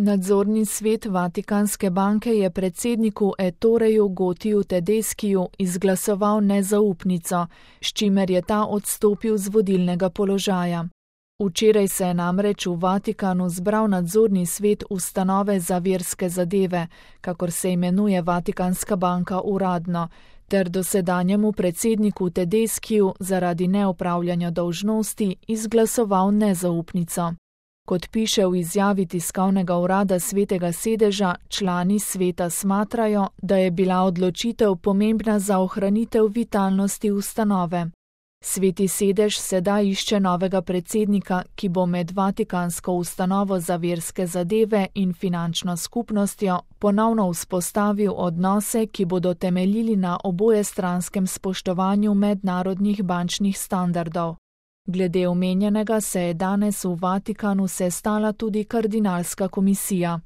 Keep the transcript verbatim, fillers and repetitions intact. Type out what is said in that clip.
Nadzorni svet Vatikanske banke je predsedniku Ettoreju Gotiju Tedeskiju izglasoval nezaupnico, s čimer je ta odstopil z vodilnega položaja. Včeraj se je namreč v Vatikanu zbral nadzorni svet ustanove za verske zadeve, kakor se imenuje Vatikanska banka uradno, ter dosedanjemu predsedniku Tedeskiju zaradi neopravljanja dolžnosti izglasoval nezaupnico. Kot piše v izjavi tiskovnega urada Svetega sedeža, člani sveta smatrajo, da je bila odločitev pomembna za ohranitev vitalnosti ustanove. Sveti sedež sedaj išče novega predsednika, ki bo med Vatikansko ustanovo za verske zadeve in finančno skupnostjo ponovno vzpostavil odnose, ki bodo temeljili na obojestranskem spoštovanju mednarodnih bančnih standardov. Glede omenjenega se je danes v Vatikanu sestala tudi kardinalska komisija.